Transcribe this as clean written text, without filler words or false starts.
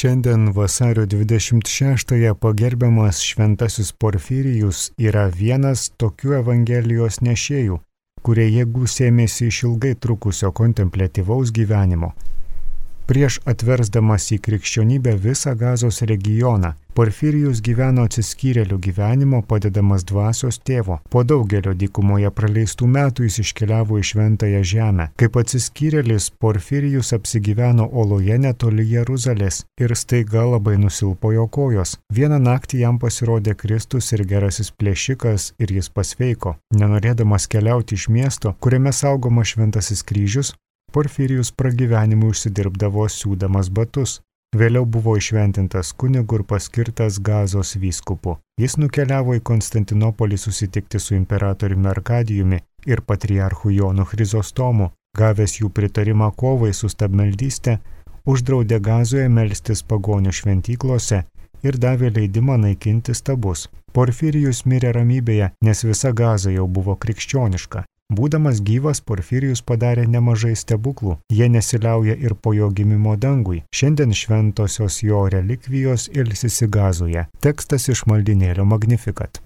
Šiandien vasario 26-ąją pagerbiamas šventasis Porfirijus yra vienas tokių Evangelijos nešėjų, kurie jėgų sėmėsi iš ilgai trukusio kontempliatyvaus gyvenimo. Prieš atversdamas į krikščionybę visą Gazos regioną, Porfirijus gyveno atsiskyrėlių gyvenimo padedamas dvasios tėvo. Po daugelio dykumoje praleistų metų jis iškeliavo į Šventąją žemę. Kaip atsiskyrėlis, Porfirijus apsigyveno oloje netoli Jeruzalės ir staiga labai nusilpo jo kojos. Vieną naktį jam pasirodė Kristus ir gerasis plėšikas ir jis pasveiko. Nenorėdamas keliauti iš miesto, kuriame saugomas šventasis kryžius, Porfirijus pragyvenimui užsidirbdavo siūdamas batus. Vėliau buvo įšventintas kunigu ir paskirtas Gazos vyskupu. Jis nukeliavo į Konstantinopolį susitikti su imperatoriumi Arkadijumi ir patriarchu Jonu Chrizostomu. Gavęs jų pritarimą kovai su stabmeldyste, uždraudė Gazoje melstis pagonių šventyklose ir davė leidimą naikinti stabus. Porfirijus mirė ramybėje, nes visa Gaza jau buvo krikščioniška. Būdamas gyvas, Porfirijus padarė nemažai stebuklų. Jie nesiliauja ir po jo gimimo dangui. Šiandien šventosios jo relikvijos ilsisi Gazoje. Tekstas iš maldynėlio Magnificat.